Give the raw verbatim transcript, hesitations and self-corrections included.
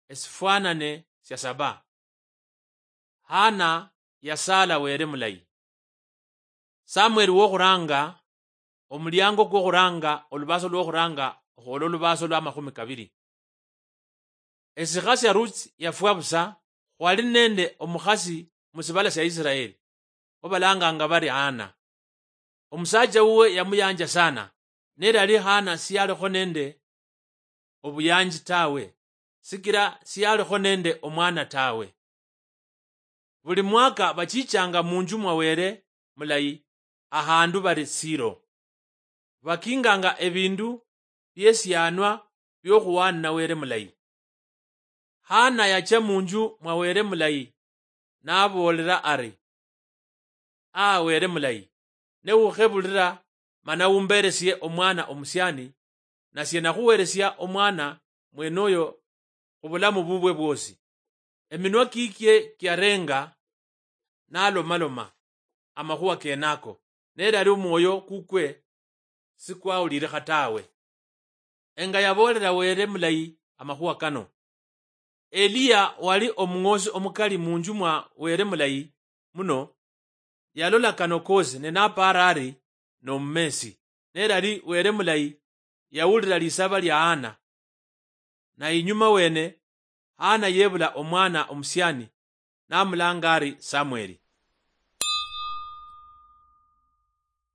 esifwanane sia saba. Hana yasaala Were mulayi. Samweli wokhuranga, omuliango kwokhuranga, olubaaso lwokhuranga okhwola olubaaso lwa makhumi kabili. Esikha sia Ruth yafwa busa, khwali nende omukhasi musibala sia Israeli, obalanganga bari Hana. Omusaacha wuwe yamuyanja sana, nelali Hana siyalikho nende obuyanji tawe, sikila siyalikho nende omwana tawe. Buli mwaka bachichanga munju mwa Were mulayi, ahandu bari Siro. Bakinganga ebindu biesianwa biokhuwanina Were mulayi. Hana yacha munju mwa Were mulayi, naboolera ari, "A Were mulayi, ne ukhebulira mana umberesie omwana omusiani, nasie nakhuweresia omwana mwenoyo khubulamu bubwe bwosi." Eminwa kikye kiarenga nalomaloma amakhuwa kenako, nelali omwoyo kukwe sikwawulirikha tawe. Enga yaboolera Were mulayi amakhuwa kano. Eliya wali omung'oosi omukali munju mwa Were mulayi muno, yalola kano koosi ne napaara ari nomumesi. Nelali Were mulayi yawulira lisaba lia Hana. Na inyuma wene, Hana yebula omwana omusiani, namulanga ari Samweli.